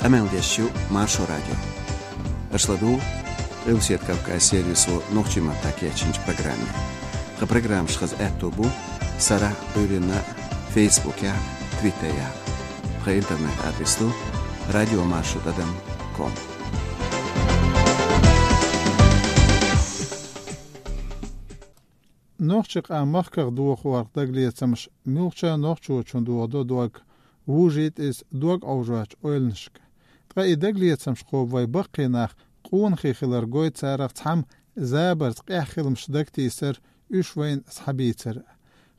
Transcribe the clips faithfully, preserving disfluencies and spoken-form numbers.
Къамел деш ю Маршо радио. Аша ладугӀу Къилбаседа Кавказан сервисо нохчийн маттахь кечйинчу программе. Тхан программаш хаза аьтто бу сарахь а, Ӏуьйранна а, Фейсбукехь а, Твиттерехь а. Тхан интернет-адрес ду радиомаршо тӀадам ком. Нохчийн къам махках дохорах дагалецамаш муьлххачу нохчочунна дохадо дог, вужийта иза дог Ӏовжочу ойланашка. Ткъа и дагалецамаш кхобу вайн баккхий нах къонахий хилар гойту царах цхьамма забарца къаьхьа хиламаш дагатийсар, уьш вайна схьабийцар.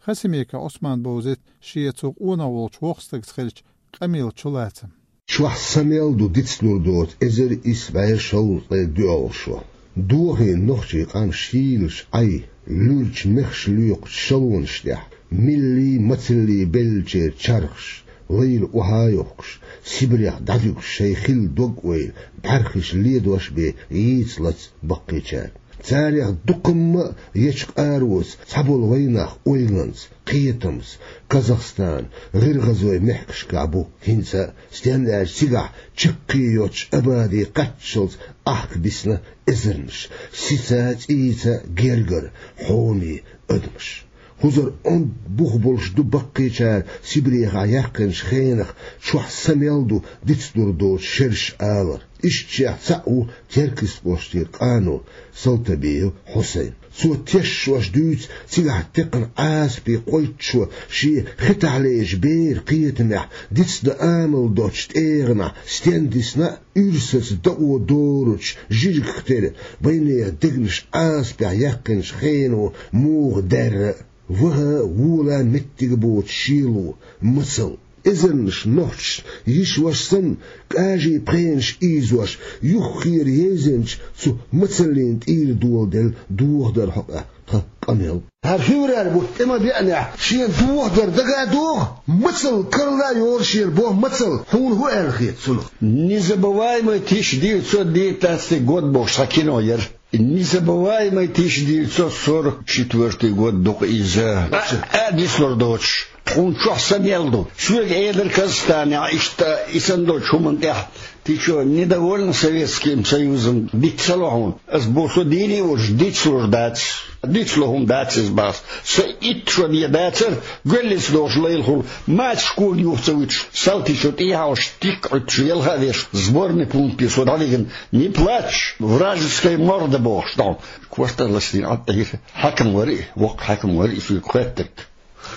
Хасимиков Ӏусман бовзийта шен цу къонах волчу воккхачу стагца хиллачу къамелан чулацам. Чохь са мел ду дицлур доцу эзар исс бӀе шовзткъе доьалгӀа шо. Дохийна нохчийн къам шийлачу Ӏай, луьрачу мехаш лоькхучу шалонаш тӀехь, миллий, мацаллий беллачеран чархаш, лайла охьа а йохкуш, Сибрех дӀадуьгуш шайн хилла дог-ойла, бӀаьрхиш ледош бен йийца-лаца баккхийчара. Царех дуккха а ечу къароца цхьаболу вайнах ойланца, кхетамца Казахстан, ГӀиргӀазойн мехкашкахь бу хӀинца а, стенна аьлча цигахь чаккхе йоцчу Абаде кхаччалц ахка бисна эзарнаш, сица а, цӀийца а гергара, хьоме адамаш. ХӀузар онда бух болуш ду баккхийчара Сибрехахь яьккхинчу хенах чохь са мел ду дицлур доцу шераш алар. Ишттачех цхьаъ ву Теркйистан кӀоштара къано Салтабиев Хьусайн. Цо тешаш дуьйцу цигахь текхна Ӏазапе кхойттучо шен хетахь лелачу беран кхетамехь дицдан амал доцучу тӀегӀанехь стенна дисна а, уьрсаца дакъо доручу жижигах тера вайнехан дегнаш Ӏазапехь яьккхинчу хено муха даьрра а. Ваха а, вола а меттиг а боцу шело, мацалла. Эзарнаш нохчашна йиша-ваша санна, кӀажийн пхенаш ийзош, юххера езанчу цу мацаллина тӀера доладелла дохадар хьо-кх тхан къамел. ХӀара февраль бутт тӀе ма беанехь, шена дохадар дага а догӀу, мацалла карла а йолу шена боху мацалла, хьуна хӀун аьлла хета цунах? Незабываемый тысяча девятьсот девятнадцатый год бохуш цхьа кино яра. Незабываемый тысяча девятьсот сорок четвёртый год ду-кх иза. А, а, дицлур доцуш. Тхуна чохь са мел ду. Соьга элира Казахстанехь, иштта и санна долчу хӀуманна тӀехь: «Ты чё, недовольна Советским Союзом? Диц ца ло хьуна?» Ас боху: «Со дийне а волуш, дицлур дац. Дицло хӀума дац иза», — боху ас. Сан итт шо бен дацара, гоьллица дохуш лайлахула, мацаш кога юха ца вуьтуш, салтичо тӀехьа Ӏуьттуш, ялха а веш, сборный пункте со дӀавигна. «Не плачь, вражеская морда», — бохуш дӀа. Кортах лаьцна Ӏад Ӏийра. Хьаькам вара и, воккха хьаькам вара и, соьга хоьттург.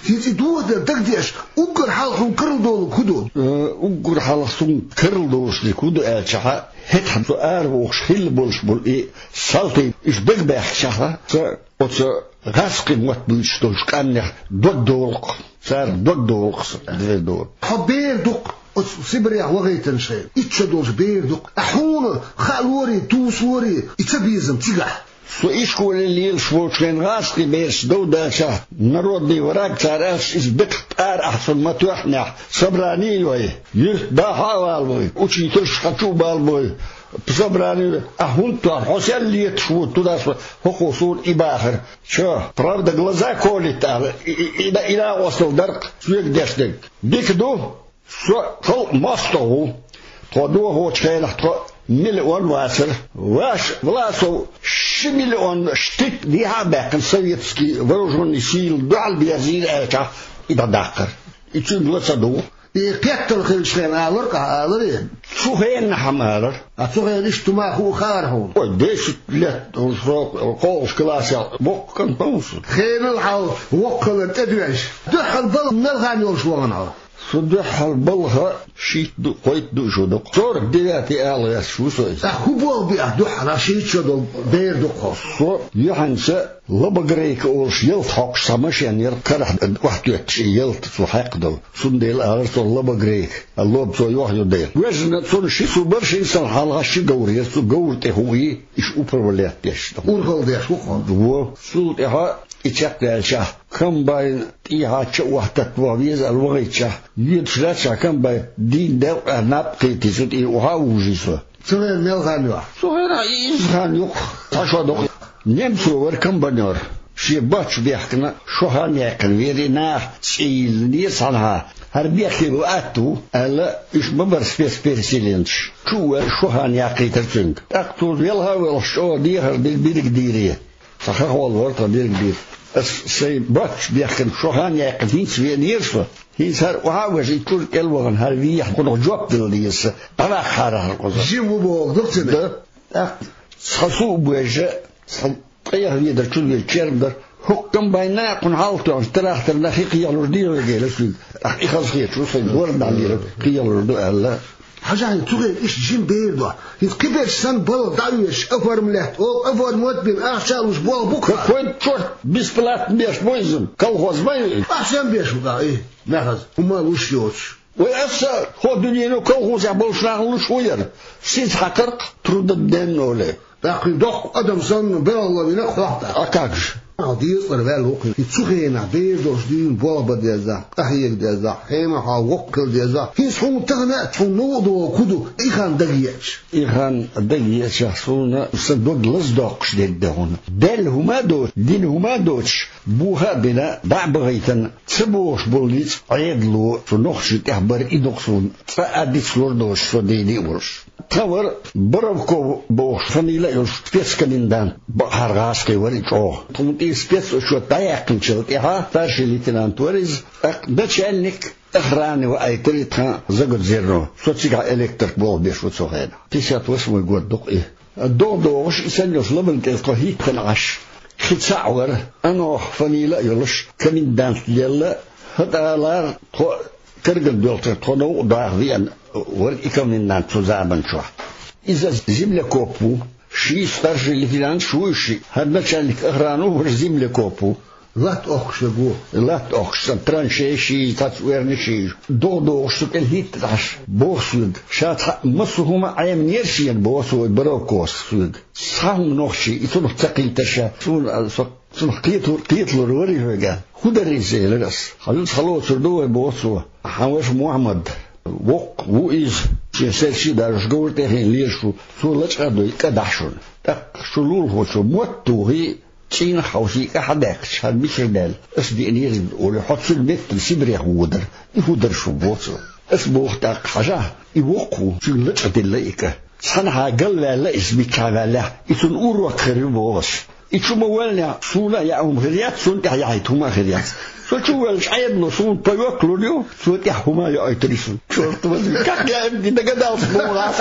ХӀинца и дохадар дагадеш, уггар хьалха хьуна карладолург хӀун ду? Э, уггар хьалха суна карладолуш дерг хӀун ду аьлчахьа, хӀетахь со ара вогӀуш хилла болуш болу и салтий, уьш дагабаьхкичахьа, сан оцу гӀазкхийн мотт буьйцуш долчу къаьмнех дог долу-кх, цара дог долу-кх сан, дер долу. Хьо бер ду-кх оцу Сибрех вахийтинчу хенахь, итт шо долчу бер ду-кх. Ахьа хьуна хаалорий, тосалорий и цабезам цигахь? Со ишколе лелаш волчу хенахь гӀазкхийн бераш дов даьлча, народный враг цара аьлча, иза бекхах тӀара ахь суна ма тоьхнехь, собрани а йой, юьртда хьа а валавой, учительша хьа чу а балабой, собрани а йой, ахь хӀунда тоьхна, хьо сел леташ ву туда со, хӀокхо суна и бахара. Чо, правда, глаза колет аьлла, и, и, и, и накъостал дара-кх соьга деш дерг. Дика ду, со халкъ мостагӀ ву. Тхо дохочу хенахь тхо миллион вацара. Ваш Власов ши миллион штык дехьа а баьккхина, советский вооружённый силы дуьхьал берзийра аьлчахь, и дӀадаккхара. И цуьнга ла ца дугӀу. И кхеттал хилчу хенахь алар-кх, аларий? Цу хенахь ма алара. А цу хенахь иштта хӀума хуур хаьара хьуна? Ой, десять лет уже срок, кхоалгӀачу классехь воккха кӀант ву со. Хенал хьал воккхалла тӀедоьжна. Дуьххьал балха мел хан йолуш вахана хьо? Со дуьххьал балха шийтта ду, кхойтта ду шо ду-кх. Сорок девятый ала гӀерташ ву со иза. Ткъа хӀун болх биъна дуьххьал, шийтта шо долу бер ду-кх хьо? Со юьхьанца лобогрейка олуш ялта хьокхуш цхьа машен яра, карахь охьатоьттуш и ялта цо хьаькхна долу. Цундела алара цо лобогрейка, а лоба цо йохйо дела. Вежна цунна ши су бара, шина санна хьалха ши говр яра, цу говра тӀе хӀуъий, иштта управлять деш. Урхалла деш ву-кх хьо? Во. Цул тӀаьхьа и чекхдаьлчахь, комбайн тӀехьа ча охьататта ваха веза аьлла вахийтчахь, йоьдуш лаьцчахь комбайн дийна делкъехь наб кхийтий, цу тӀера охьа а вужий со. Цу хенахь мел хан ю ахь? Цу хенахь изза хан ю-кх, цхьа шо ду-кх. Немцо вара комбайнёр. Шен бочу бехкана, шо хан яьккхина вера и наха цӀийла деза цхьанхьа. хӀара бехке бу, атта ву, аьлла, уьш ма бара спецпереселенцаш. Чу а ваьлла, шо хан яьккхийтира цуьнга. ТӀаккха цо велха а велхаш чӀогӀа дехар дира дириг дийре. Цхьа хахол вара тхан дириг дийр. Ас сайн боццуш бехкана шо хан яьккхина хӀинца веанера со. ХӀинца хӀара охьа а вежа, и чуьра кӀел вахана, хӀара вехьа кхунах жоп дала деза сан. ДӀаваккхахьара хӀара кхуза. Жима боху, дукха ца Да. ТӀаккха цхьа су а божа, цхьа ткъех ведар чу веза черма дара. ХӀокху комбайна а кхунна хьалха тоьхначу тракторна хи кхехьалур дийр вай гела суьйга. ТӀаккха и хаза хеташ ву, сайн доран дӀа дийриг кхехьалур ду аьлла. Хьажахьа, цу хенахь иштта жима бер ду. ХӀинца кхиберш санна балха дӀа а везаш, оформлять, оха оформлять бина, ахча а луш болх бу-кх. Какой чёрт, бесплатно беш бу иза, колхоз ма ю. Ахча а беш бу-кх, и, мехаза, хӀума луш йоцуш. Вай аса хӀо дуьнено колхозехь болуш нахана луш ву яра. Сиз хьакхаркх трудодневной. ТӀаккха доккха адам санна, белхало вина хьох тӀаккха. А как же? Хьал дезткъара ваьлла ву кхин. И цу хенахь бер долуш дуьйна болх бан дезахь, къахьега дезахь, хьенан хьал воккха хила дезахь. ХӀинца хьуна тахана а, хьуна новкъа догӀу ку ду, и хан дага еача? И хан дага еачахь, суна сан дог лазадоккхуш дерг дан хьуна. Даьлла хӀума а доцуш, дина хӀума а доцуш, боха а бина, дӀа а бахийтина, ца богӀуш болу ницкъ Ӏедало цу нохчийн тӀехь бара, и ду-кх суна цкъа а дицлур доцуш, со дийна а волуш. Тхан вара Боровков бохуш фамилия а йолуш спецкомендант, бакъахьара гӀазкхи вара и чӀогӀа. Тхуна тӀера спецучёт дӀаяьккхинчул тӀаьхьа старший лейтенант вара иза, тӀаккха начальник охраны ваийтира и тхан Загудзерно. Со цигахь электрик болх беш ву цу хенахь. Пятьдесят восьмой год ду-кх и. ДогӀа догӀуш, и санна йолуш ламан тӀера тхо хӀиттина Ӏаш, кхин цхьаъ вара, Анох фамилия а йолуш, комендант лелла, хӀетӀа а лара тхо Карган доьлхучуьра тхо новкъа даха веана вара и комендант цу заман чохь. Иза землекоп ву, ший старший лейтенант шу ву ши, хӀара начальник охраны ву, хӀара землекоп ву. Латта охкуш верг ву. Латта охкуш, сан траншеи ши, цхьацца верна ши. ДогӀа догӀуш цу кӀел хӀиттина Ӏаш, боху соьга. Ша цхьаъ массо а хӀума Ӏеминера шена, боху цо, вай Боровковс соьга. Цхьа хӀума нохчий, и цунах ца кхийтира ша. Суна, а, со Цунах кхеталур, кхеталур вара и хьоьга. ХӀун дара иза, элира ас. Хьан юьца хьалоцур ду вай, боху цо. Хьан ваша Мухьаммад, воккха ву иза, шен саьрчий а даржош, говра тӀе а хиъна лелаш ву, цо лачкъа а дой, кӀа дахьа шуна. ТӀаккха шу лулахочо мотт а тухий, цӀийнах а хьовсий, кӀа хьадаьккхича, хӀара мичара даьлла, ас деанера иза, олий, хьо цуьнан меттана Сибрех вуо дара. И хӀун дара шун, боху цо. Ас боху тӀаккха, хьажахьа, и воккха ву, цуьнга лачкъа дилла и кӀа. Цхьанхьа галваьлла иза, миччахьа ваьллехь, и цунна урок хир ю, боху ас. И чу ма валлинехь, суна а яа хӀума хир яц, цунна тӀехь яхьийта хӀума а хир яц. Со чу а воьллачу Ӏедало суна паёк лур ю, цо тӀехь хӀума а йоуьйтур ю суна. Чёрт возьми, как я им не догадался, боху ас.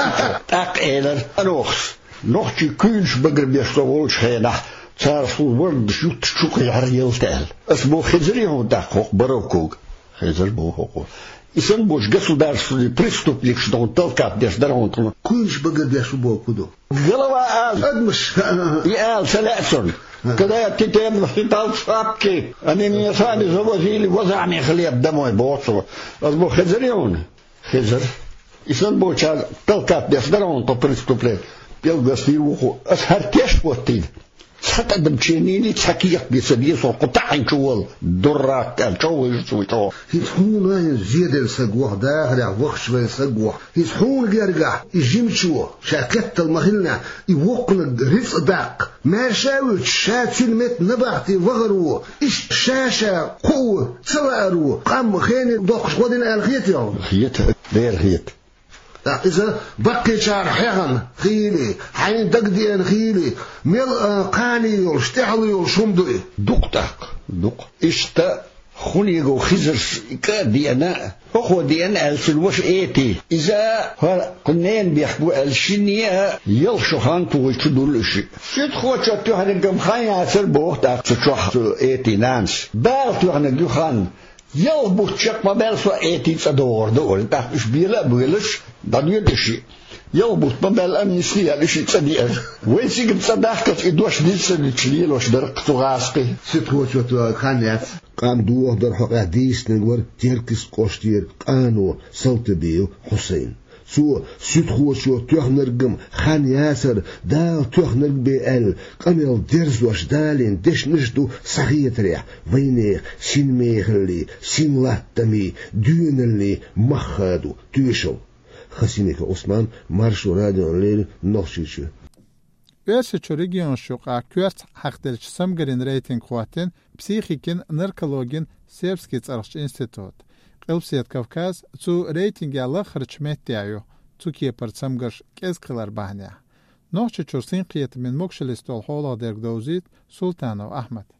ТӀаккха элира Анохас: нохчий куьйнаш багарбеш со волчу хенахь, цара суна вардаш ютташ чу кхехьара ялта аьлла. Ас боху, хезарий хьуна тӀаккха хӀокху Боровковга? Хезар, боху хӀокхо. И санна болчу государственный преступникаш тхуна талкат деш дара хьуна тхуна. Куьйнаш багарбеш ву бохург хӀун ду? Голова ала. Адамаш. И ала ца лаьа цунна. Когда ты тем считал шапки, они меня сами завозили возами хлеб домой, боху цо. Ас боху, хезарий хьуна? Хезар. И санна болчара талкат деш дара хьуна тхо преступление. Пел гостий ву хӀокхо. Ас хӀара теш хӀоттийна. Цхьа тӀадам ченийний, цхьа кехат бен ца деза, хӀокху таӀийначу волу, дурак аьлла, чӀогӀа вуьйжу цо чӀогӀа. ХӀинца хьуна хӀинца зеделла саг ву хьо, дахарехь вахча вайна саг ву хьо. ХӀинца хьуна гергахь и жимачо, ша кхеттал ма-хиллинехь, и воккханиг рицкъ даккха, маьрша а вуьтуш, ша цуьнан метта набахте вахар ву, иштта ша-ша кхоо ца лаар ву, къам хене доккхуш гӀо дина аьлла хетий хьуна? Хета, дера хета. ТӀаккха иза баккхийчара хьехна хийла, хьайна дагадеана хийла, мел а кхане йолуш, тӀаьхьало йолуш хӀума ду и? Дукха тӀаккха, дукха. Иштта хӀунего Хизарс и кӀа а деана, хӀокхо деана аьлла цуьнан ваша Эти. Иза хӀара кху ненан бехк бу аьлла, шинне а ялх шо хан тухуш чу дуьллу и шиъ. Суьдхочо тоьхнарг-м хан яцара, боху тӀаккха цу чохь цу Этин нанас. Дала тоьхнарг ю хан. Ялх бутт чекх ма баьлла, со Этин цӀа догӀур ду, олий. ТӀаккха уьш бела а боьлуш, дӀадоьду и шиъ. Ялх бутт ма баьлла, амнисти яьлла, и шиъ цӀа деара. Вай цига цӀа дахкалц и дош дийцинчу лелош дара-кх цу гӀазкхий. Суьдхочо тоьхнарг хан яц. Къам дохадара хьокъехь дийцинарг вара Теркйист кӀоштера къано Салтабиев Хьусайн. Цо, суьдхочо тоьхнарг-м хан яцара, Дала тоьхнарг бен аьлла, къамел дерзош далийна дешнаш а ду, схьахетарехь, вайнехан синмехаллий, синлаттамий, доьналлий мах хадо тоьшалла. Хасимиков Ӏусман, Маршо радиона леррина, Нохчийчоь. Оьрсийчоьнан регионаш юкъахь коьртехь хьахделлачу самгалийн рейтинг хӀоттийна психикин, наркологин Сербскийн цӀарахчу институто. Къилбаседа Кавказ цу рейтингехь лаххарчу меттехь ю, цу кепара цамгарш кӀезиг хилар бахьанехь. Нохчийчуьра синкхетаман могашаллица долу хьолах дерг довзуьйту Султанов Ахьмада.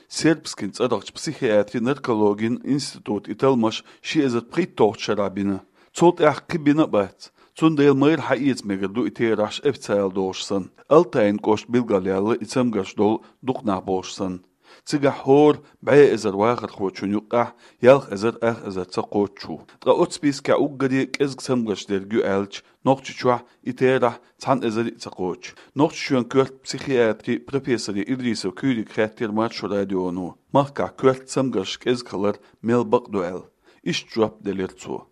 Сербскийн цӀарахчу психиатри-наркологин институтан и талламаш ши эзар пхийтталгӀачу шарахь бина. Цул тӀаьхьа кхин бина а бац. Цундела майра хьаэца мегар ду и терахьаш официалан долуш санна. Алтайн кӀоштахь билгалъяьлла и цамгарш долу дукха нах болуш санна. Цигахь хӀора бӀе эзар вахархочун юккъехь ялх эзар ах эзар ца кхочуш ву. Ткъа оцу спискехь уггаре кӀезиг цамгарш дерг ю аьлча, Нохчийчохь и терахь цхьана эзаре а ца кхочу. Нохчийчоьнан коьрта психиатри профессоре Идрисов Куьйрига хаьттира Маршо радионо, махкахь коьрта цамгарш кӀезиг хилар мел бакъ ду аьлла. Иштта жоп делира цо.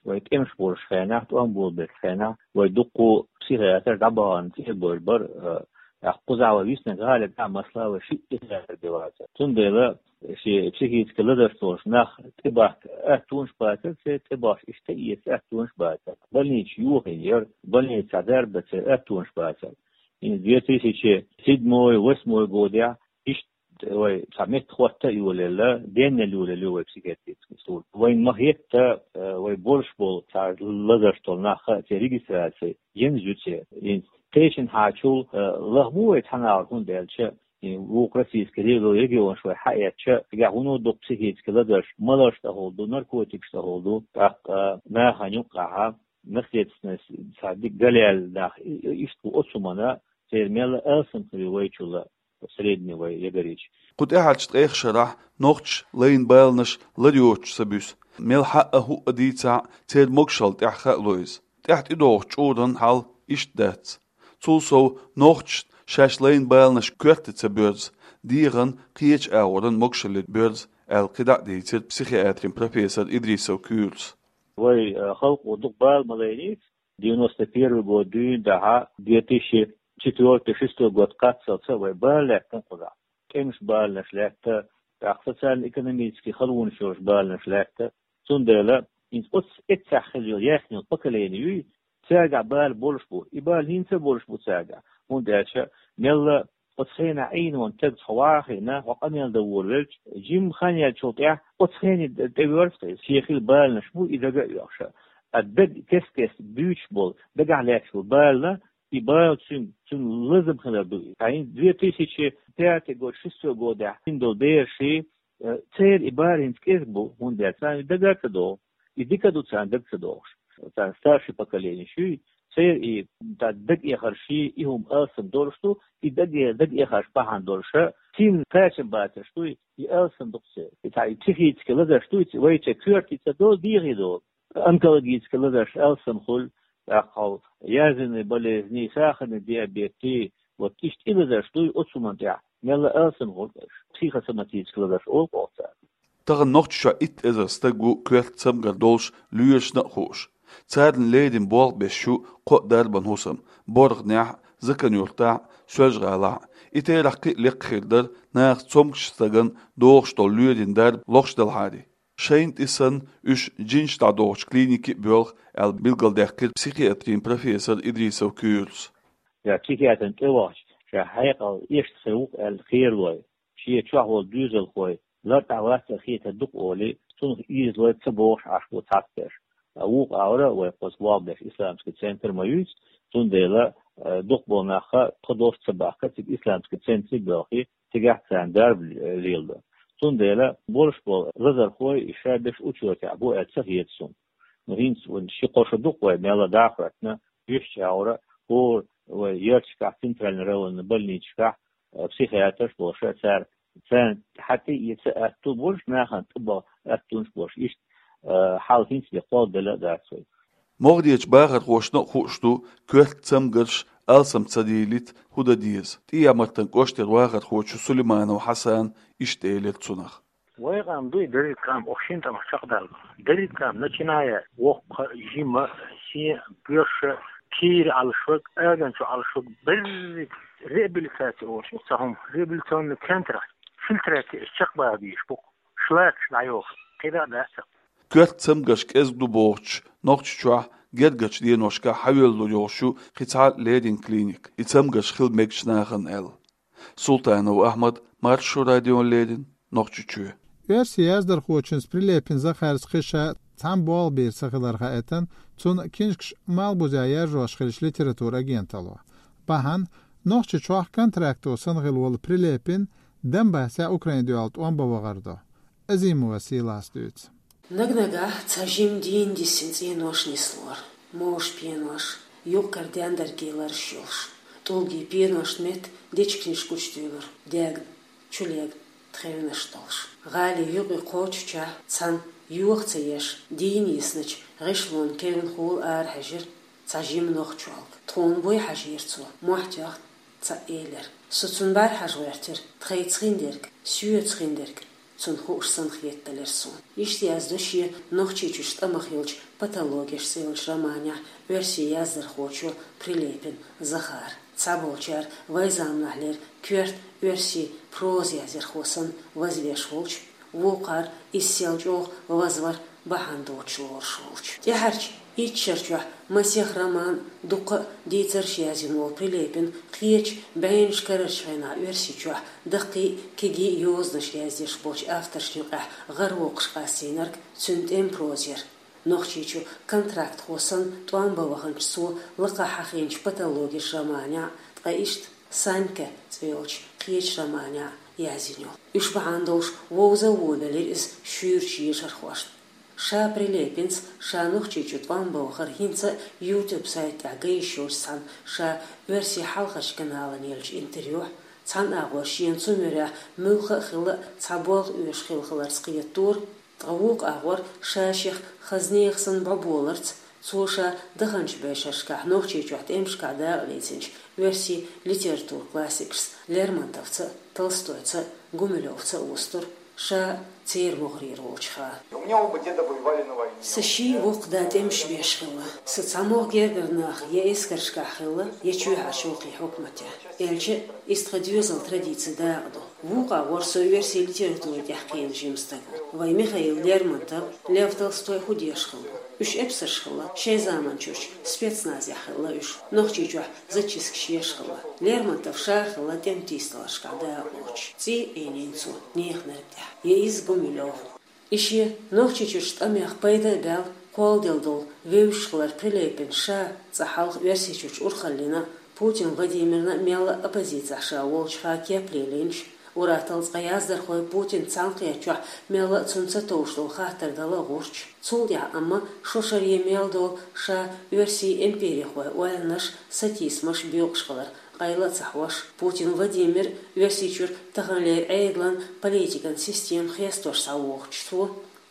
Вай тӀемаш болчу хенахь, тӀом болабеллачу хенахь, вай дуккха психиатр дӀабахана цӀе а бевр бара, э, тӀаккха кхузахь вай виснарг гӀалина тӀехь, масала, вай шиъ психиатр бен вацара. Цундела шен психически лазарш долуш нах тӀебахка атта тонаш бацара, церан тӀебахча иштта эца атта тонаш бацара. Больница йохийна яра, больница дарба ца атта тонаш бацара. ХӀинца две тысячи седьмой, восьмой годехь иштта вай цхьа меттахӀотта а йолаелла, денна йолаелла ю вай психиатрический служба. Вайна ма-хетта, э, вай болуш болу цхьа лазарш долу нах а церан регистраци йина ю церан. ХӀинца кхечанхьачул, э, лаха бу вай цхьана агӀор, хӀунда аьлча и вукху российский регионаш вай хьаэцча, цигахь вуно дукха психически лазарш, маларш тӀехула ду, наркотикаш тӀехула ду, тӀаккха нахана юккъехь наследственность цхьа дика галъяьлла нах, и-, и-, иштта бу оцу хӀуманна, церан мелла алсам хир ю вайчул средний вай ягарийча. Кху тӀаьхьарчу ткъех шарахь нохчаша лайна баланаш лар йоцуш ца буьсу. Мел хьаъа хӀуъа дийцахь а, церан могашалла тӀехь хаа ло иза. ТӀаьхьа тӀедогӀучу чкъуран хьал иштта дац. Цул сов, нохчашна шаьш лайна баланаш коьрта ца боьрзу, дегӀан, кхечу агӀоран могашаллин боьрзу, аьлла кхидӀа а дийцира психиатрин профессор Идрисов Куьйрас. Вай, э, халкъо дукха бала ма лайнийца, девяносто первый год дуьйна дахьа, две тысячи четвёртый, шестой год кхаччалц а вай бала лаьттина кхузахь. ТӀемаш баланаш лаьтта, тӀаккха социально-экономический халонаш йолуш баланаш лаьтта. Цундела хӀинца оцу эццехь хилла йолу яьхна йолу поколение юй, цаьргахь бала болуш бу. И бала хӀинца а болуш бу цаьргахь. ХӀунда аьлча мелла оцу хенахь Ӏийна волу стаг цхьа вахийна, хьо къамел дан волавелча, жимма хан яьллачул тӀаьхьа оцу хенахь тӀевоьрзу-кх иза. Шен хилла баланаш бу, и дага а оьхуш. А даг кест-кеста буьйцуш болу, дагахь лаьтташ болу бала, и бала цуьнан, цуьнан лазам хилар ду. Ткъа хӀинца две тысячи пятый год, шестой годехь хин долу бераший, э, церан и бала хӀинца кӀезиг бу, хӀунда аьлча царна и дага а ца догӀу. И дика а ду царна дага ца догӀуш. Царна старший поколение шуьй, церан и та дагахьарший, и хӀума алсам долуш ду, и дага, дагахьарш бахьана долуша, цуьнан кхачам бацарш дуй, и алсам ду-кх церан. И цхьа и психически лазарш дуй, вайча коьртий ца долу, дегӀий долу. Онкологически лазарш алсам хуьлу, тӀаккха хьо язвенный болезни, сахарный диабетий, вот иштта и лазарш дуй оцу хӀуманна тӀехь, мелла алсам хуьлу-кх уьш. Психосоматически лазарш олу-кх оха царна. Тахана Нохчийчохь итт эзар стаг ву коьрта цамгар долуш лоьрашна а хууш. Царна леррина болх беш ю кхо дарбан хӀусам: БоргӀанехь а, Закан-Юьртахь а, Соьлжа-ГӀалахь а. И терахь кхин а лекха хир дара, наха цомгуш стагана догӀуш долу лоьрийн дарба лохуш делахьара. Шайна тӀе санна, уьш жинаш дӀадохучу клинике а боьлху, аьлла билгалдаьккхира психиатрин профессор Идрисов Куьйрас. Ша психиатрна тӀе вахча, ша хьекъал эшна хир ву-кх аьлла кхералой, шен чохь волу доьзалхой лартӀахь вац аса хетар ду-кх олий, цунах ийзалой ца бохуш Ӏаш бу цхьацца берш. Ткъа вукху агӀора вай кхуза болх беш исламский центр ма юьйцу, цундела, э, дукхахболу нах а тхо долуш ца бахка, цига исламский центре а боьлхий, цигахь царна дарба леладо. Цундела болуш болу лазархой и ша берш учётехь бу аьлла ца хета суна. Ну, хӀинца вайн ши-кхо шо ду-кх вай мелла дӀахӀоьттина, уьш чӀагӀара хӀора вай ярташкахь, центральный районный больницашкахь, э, психиатрш болуш, цара, царна хьан тӀе а эца атта болуш, нахана тӀебаха атта болуш, иштта, э, хьал хӀинца бен кхолладелла а дац вай. МогӀарерчу бахархошна а хууш ду, коьрта цамгарш алсам ца дийлийта хӀун дан деза. ТӀехьа-Мартан кӀоштара вахархочо Сулейманов Хьасана иштта элира цунах. Вай къам дуй, дерриг къам, оха шина тӀамах чекхдалла. Дерриг къам, начиная воккха, жима, сен, боьрша, кийра Ӏалашваг, аганчу Ӏалашваг, берриг реабилитация олуш ю цхьа хӀума, реабилитационный центрах фильтраци эш чекхбаха безаш бу-кх. Шлакаш дӀайоху, кхидӀа а дац. Коьрта цамгарш кӀезиг ду бохучу Нохчийчохь гергарчу деношкахь хьавоьллур йолуш ю кхин цхьа леррина клиника, и цамгарш хила мегачу нахана аьлла. Султанов Ахьмад, Маршо радиона леррина, Нохчийчоь. Оьрсийн яздархочунца Прилепин Захарца кхин ша цхьана болх бийр ца хилар хаийтина цун книжкаш Малхбузехь яржош хиллачу литературан агенталло. Бахьана Нохчийчохь контракто санна хилла волу Прилепин Донбассехь Украинан дуьхьал тӀом бан вахар ду. Азимова Сийлас дуьйцу. Наг-нагахь цхьа жима дийна дисина цӀенош нислора, мовш пенош, юккъера дендаргий лараш йолуш, тӀулгийн пеношна метта дечиг-ниш гучудуьйлура, дегна, чулегна тхевнаш долуш. ГӀали юкъе кхочучехь, цхьана йоха ца еш, дийна йисначу гӀишлонан кевнна хьула арахьежира цхьа жима нохчолга. «Тхуна буй хьажийра цо, мохь тоьхна ца элира. Со цунна бӀаьрахьажа гӀоьртира, тхайца хиндерг, соьца хиндерг цунна хууш санна хетадалира суна». Иштта яздо шен «Нохчийчуьрчу тӀамах йолчу патологеш» цӀе йолчу романехь оьрсийн яздархочо Прилепин Захара. Цхьаболчара вайн заманахьлера коьрта оьрсийн проза яздархо санна вазвеш волчу, вукхара иза сел чӀогӀа вазвар бахьана доцуш лоруш волчу. ТӀаьхьарчу итт шарчохь масех роман, дуккха а дийцарш язйина волу Прилепин кхечу бӀеннаш карарчу хенахь Оьрсийчохь даккхий а, кегий а йозанаш яздеш болчу авторшна юкъахь гӀаравоккхуш къастийнарг цуьнан тӀеман проза яра. Нохчийчу контрактхо санна тӀом бан ваханчу цо лакхахь хьахийначу «Патологеш» романехь, ткъа иштта «Санька» цӀе йолчу кхечу романехь язйина йолу. Уьш бахьана долуш вовза а вовлуьйтура иза шуьйрачу ешархошна. Ша Прилепинца ша Нохчийчу тӀом бан вахар хӀинца а YouTube сайта тӀехь ган йиш йолчу цхьана ша оьрсийн хьалхарчу каналана еллачу интервьюхь, цхьана агӀор шена цу муьрехь муьлхха а хилла а цхьа болх оьшуш хилла хиларца кхетадора, ткъа вукху агӀор ша шех хаза нехан санна бӀоболарца, цо ша даханчу бӀешерашкахь Нохчийчохь тӀемашкахь дакъа лецначу оьрсийн литературан классикашца, Лермонтовца а, Толстойца а, Гумилёвца а вустура, ша церан могӀарера волчу хенахь. У меня оба деда воевали на войне. Сан ший воккха да тӀемаш беш хилла. Сан цхьа могӀа гергара нахах я эскаршкахь хилла, я чоьхьарчу вукху хьукматехь. Аьлча, иза тхан доьзалан традицин дакъа ду. Вукху агӀор со оьрсийн литературин тӀехь кхиъна жима стаг ву. Вайн Михаил Лермонтов, Лев Толстой хӀун деш хилла? Уьш эпсарш хилла, шайн заманчуьрчу спецназехь хилла уьш, Нохчийчохь зачисткаш еш хилла. Лермонтов ша хилла тӀеман тийсадаларшкахь дакъа лоцуш. ЦӀий а Ӏийнийна цо неханарг тӀехь. Я иза Гумилёв. И шен Нохчийчуьрчу тӀамех пайда а баьлла, кхолладелла долу вевзаш хилар Прилепин ша цкъа хьалха Оьрсийчуьрчу урхаллина, Путин Владимирна а мелла а оппозицехь ша волчу хенахь кеп лелийначу, ур-атталла цкъа яздархой Путинца цхьаьнакхетачохь мелла а цунна ца товш долу хаттар дала а гӀурташ. Цул тӀаьхьа амма шо шаре мел долу ша оьрсийн империхойн ойланаш, сатийсамаш боькъуш хилар къайла а ца хьош, Путин Владимир Оьрсийчуьра таханлера Ӏедалан политикан система хестош схьавогӀучу цо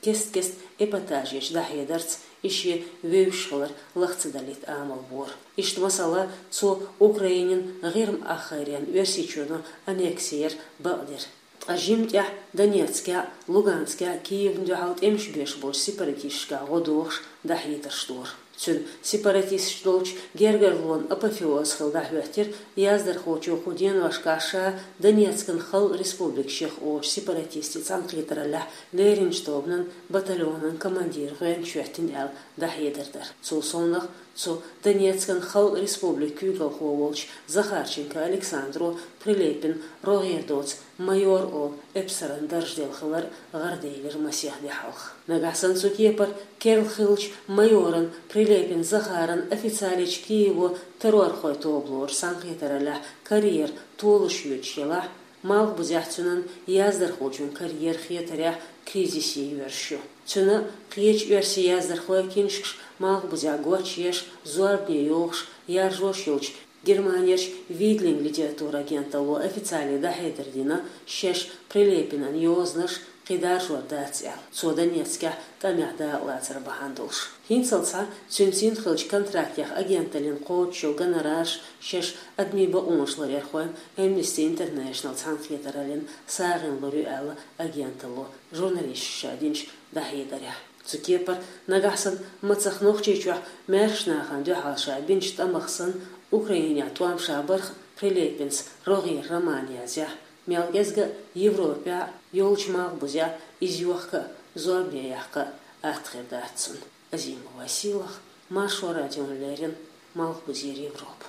кест-кеста эпатажечу дӀахьедарца и шен вевзаш хилар лаха ца далийта амал бора. Иштта, масала, цо Украинин ГӀирма-Ахарен Оьрсийчоьно аннекси яр бакъдира. Ткъа жимма тӀехь Донецкехь, Луганскехь Киевна дуьхьал тӀемаш беш болчу сепаратисташкахь гӀо дохуш дӀахьедарш дора. Цуьнан сепаратисташ долчу гергарлонан апофеоз хилла дӀахӀоьттира яздархочо кху деношкахь ша Донецкан халкъан республика шех олучу сепаратистийн цхьаьнакхетараллехь леринчу тобанан батальонан командир гӀоьнча хӀоьттина аьлла дӀахьедар дар. Цул совнаха цу Донецкан халкъан республикан куьйгалхо волчу Захарченко Александро Прилепин рогӀера доцу майор олу эпсаран дарж делла хилар гӀараделира масех де хьалха. Нагахь санна цу кепара керла хиллачу майоран Прилепин Захаран официалечу Киево террорхойн тоба лоруш цхьаьнакхетараллехь карьера толуш йоьдуш елахь, Малхбузехь цуьнан яздархочун карьера хетарехь кризисе йоьрзуш ю. Цуьнан а, кхечу оьрсийн яздархойн а книжкаш Малхбузехь гочъеш, зорбане йохуш, яржош йолчу Германерчу Вейдлинг литературан агенталло официале дӀахьедар дина, шаьш Прилепинан йозанаш кхин даржор дац аьлла, цо Донецкехь тӀамехь дакъалацар бахьана долуш. ХӀинцалц цуьнан синхилчу контрактех агенталлина кхочуш йолу гонорарш шаьш адамийн бакъонаш ларъярхойн Amnesty International цхьаьнакхетараллина сагӀина лур ю аьлла, агенталло журналисташка ша динчу дӀахьедарехь. Цу кепара нагахь санна мацах Нохчийчохь маьршачу нахана дуьхьал ша бинчу тӀамах санна, Украинехь тӀом ша барх Прилепинца рогӀера роман язъяхь, мел кӀезга а Европехь а, йолчу Малхбузехь а иза йохка а, зорбане яккха а атта хир дац цунна. Азимова Сийлаха, Маршо радиона леррина, Малхбузера Европа.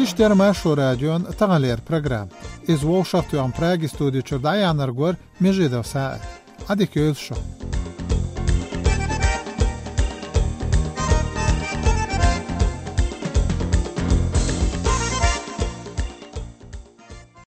Иштта яр Маршо радион таханлера программа. Иза вовшахтоьхна Праги студи чура дӀаяьхьнарг вар Межидов СаӀид. Ӏадика йойла шо.